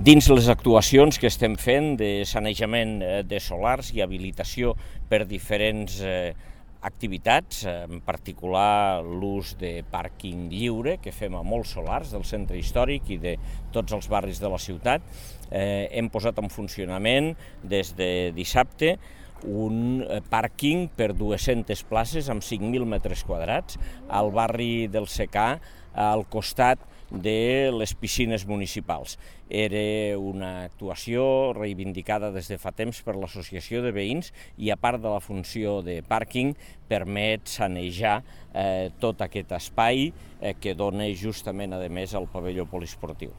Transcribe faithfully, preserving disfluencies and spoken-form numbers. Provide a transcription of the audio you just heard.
Dins les actuacions que estem fent de sanejament de solars i habilitació per diferents activitats, en particular l'ús de pàrquing lliure que fem a molts solars del centre històric i de tots els barris de la ciutat, eh, hem posat en funcionament des de dissabte un pàrquing per dues-centes places amb cinc mil metres quadrats al barri del Secà, al costat de les piscines municipals. Era una actuació reivindicada des de fa temps per l'Associació de Veïns i, a part de la funció de pàrquing, permet sanejar eh, tot aquest espai eh, que dona justament, a més, al pavelló poliesportiu.